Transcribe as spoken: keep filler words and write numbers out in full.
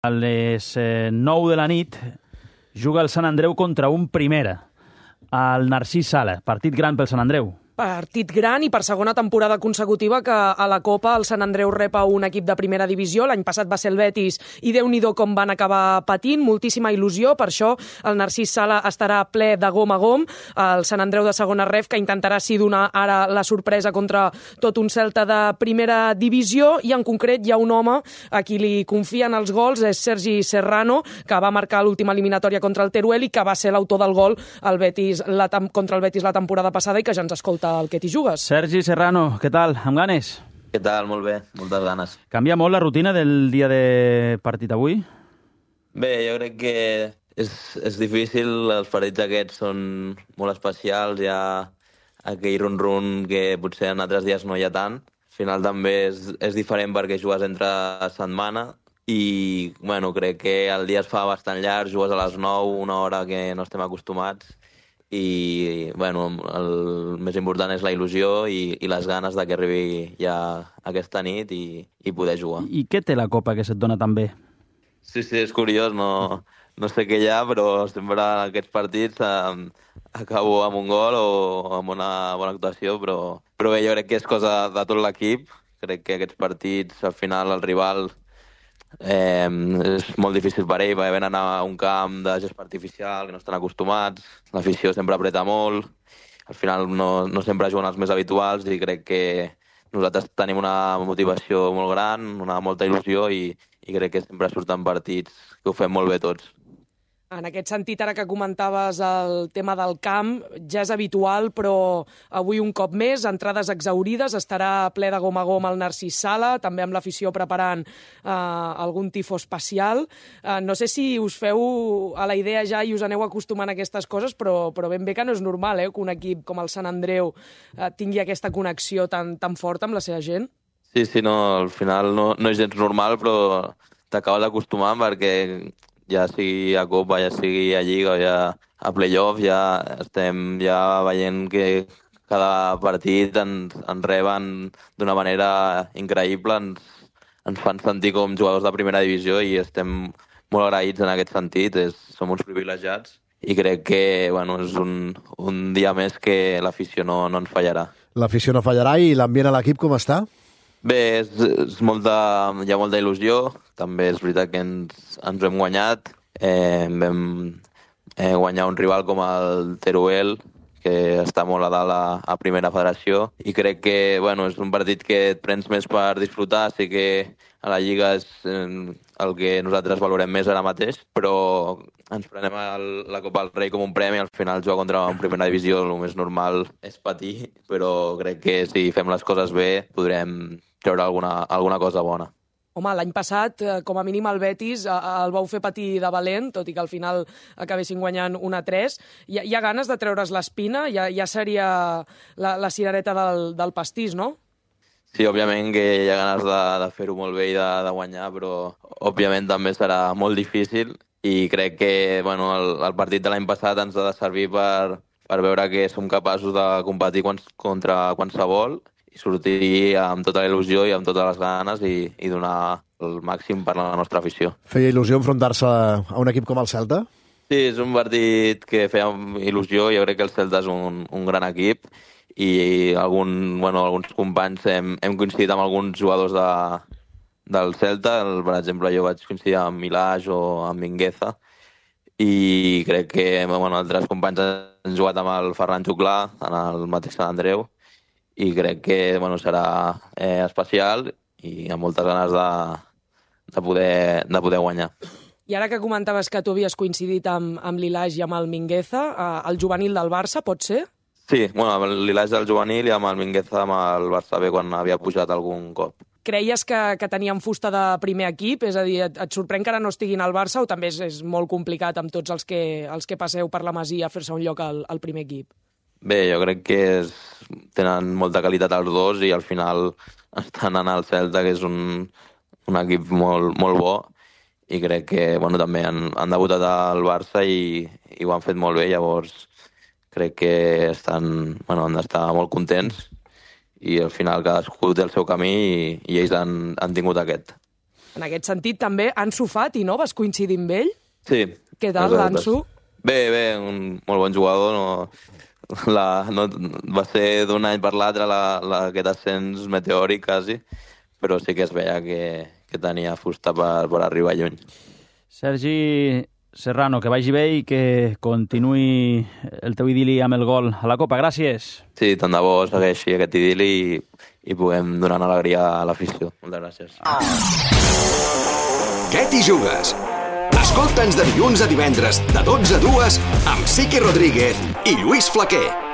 A les eh, nou de la nit juga el Sant Andreu contra un Primera, al Narcís Sala. Partit gran pel Sant Andreu. Partit gran i per segona temporada consecutiva que a la Copa el Sant Andreu rep a un equip de primera divisió. L'any passat va ser el Betis i Déu-n'hi-do com van acabar patint. Moltíssima il·lusió, per això el Narcís Sala estarà ple de gom a gom. El Sant Andreu de segona ref, que intentarà sí donar ara la sorpresa contra tot un Celta de primera divisió, i en concret hi ha un home a qui li confien els gols, és Sergi Serrano, que va marcar l'última eliminatòria contra el Teruel i que va ser l'autor del gol al Betis, la, contra el Betis la temporada passada i que ja ens escolta el que t'hi jugues. Sergi Serrano, què tal? Amb ganes? Què tal? Molt bé, moltes ganes. Canvia molt la rutina del dia de partit avui? Bé, jo crec que és, és difícil, els partits aquests són molt especials, hi ha aquell run-run que potser en altres dies no hi ha tant. Al final també és, és diferent perquè jugues entre setmana i bueno, crec que el dia es fa bastant llarg, jugues a les nou, una hora que no estem acostumats, i bueno, el més important és la il·lusió i, i les ganes de que arribi ja aquesta nit i, i poder jugar. I què té la Copa que se't dona tan bé? Sí, sí, és curiós, no, no sé què hi ha, però sempre en aquests partits eh, acabo amb un gol o amb una bona actuació, però, però bé, jo crec que és cosa de tot l'equip. Crec que aquests partits, al final, el rival Eh, és molt difícil per ell, perquè venen a un camp de gespa artificial que no estan acostumats, l'afició sempre apreta molt, al final no, no sempre juguen els més habituals i crec que nosaltres tenim una motivació molt gran, una molta il·lusió i, i crec que sempre surten partits que ho fem molt bé tots. En aquest sentit, ara que comentaves el tema del camp, ja és habitual, però avui un cop més, entrades exaurides, estarà ple de gom a gom el Narcís Sala, també amb l'afició preparant eh, algun tifo especial. Eh, no sé si us feu a la idea ja i us aneu acostumant a aquestes coses, però, però ben bé que no és normal eh, que un equip com el Sant Andreu eh, tingui aquesta connexió tan, tan forta amb la seva gent. Sí, sí, no, al final no, no és gens normal, però t'acabes acostumant perquè ja sigui a Copa, ja sigui a Lliga o ja a Playoff, ja estem ja veient que cada partit ens, ens reben d'una manera increïble, ens, ens fan sentir com jugadors de primera divisió i estem molt agraïts en aquest sentit, és, som uns privilegiats i crec que bueno, és un, un dia més que l'afició no, no ens fallarà. L'afició no fallarà i l'ambient a l'equip com està? Bé, és, és molta, hi ha molta il·lusió, també és veritat que ens, ens hem guanyat, eh, vam eh, guanyar un rival com el Teruel, que està molt a dalt a, a primera federació, i crec que bueno, és un partit que et prens més per disfrutar, sí que a la Lliga és eh, el que nosaltres valorem més ara mateix, però ens prenem el, la Copa del Rei com un premi, al final jugar contra una primera divisió el més normal és patir, però crec que si fem les coses bé podrem treure alguna, alguna cosa bona. Home, l'any passat, com a mínim el Betis el vau fer patir de valent, tot i que al final acabessin guanyant un a tres. Hi ha, hi ha ganes de treure's l'espina? Ja, ja seria la, la cirereta del, del pastís, no? Sí, òbviament que hi ha ganes de, de fer-ho molt bé i de, de guanyar, però òbviament també serà molt difícil i crec que bueno, el, el partit de l'any passat ens ha de servir per, per veure que som capaços de competir contra qualsevol i sortir amb tota la il·lusió i amb totes les ganes i, i donar el màxim per la nostra afició. Feia il·lusió enfrontar-se a un equip com el Celta? Sí, és un partit que feia il·lusió. Jo crec que el Celta és un, un gran equip i algun, bueno, alguns companys hem, hem coincidit amb alguns jugadors de, del Celta. Per exemple, jo vaig coincidir amb Milàs o amb Mingueza i crec que bueno, altres companys han jugat amb el Ferran Xuclà en el mateix Sant Andreu i crec que bueno, serà eh, especial i amb moltes ganes de, de, poder, de poder guanyar. I ara que comentaves que tu havies coincidit amb, amb l'Ilage i amb el Mingueza, eh, el juvenil del Barça, pot ser? Sí, bueno, amb l'Ilage del juvenil i amb el Mingueza amb el Barça B quan havia pujat algun cop. Creies que, que tenien fusta de primer equip? És a dir, et, et sorprèn que ara no estiguin al Barça o també és, és molt complicat amb tots els que, els que passeu per la Masia a fer-se un lloc al, al primer equip? Bé, jo crec que és, tenen molta qualitat els dos i al final estan anant al Celta, que és un, un equip molt, molt bo i crec que bueno, també han, han debutat al Barça i, i ho han fet molt bé, llavors crec que estan, bueno, han d'estar molt contents i al final cadascú té el seu camí i, i ells han, han tingut aquest. En aquest sentit, també, Ansu Fati, no? Vas coincidir amb ell? Sí. Què tal, l'Ansu? Bé, bé, un molt bon jugador. No, la, no, va ser d'un any per l'altre la, la, aquest ascens meteòric, quasi, però sí que es veia que, que tenia fusta per, per arribar lluny. Sergi Serrano, que vagi bé i que continuï el teu idili amb el gol a la Copa. Gràcies. Sí, tant de bo segueixi aquest idili i, i puguem donar alegria a l'afició. Moltes gràcies. Què t'hi jugues? Escolta'ns de dilluns a divendres, de dotze a dues, amb Sique Rodríguez i Lluís Flaquer.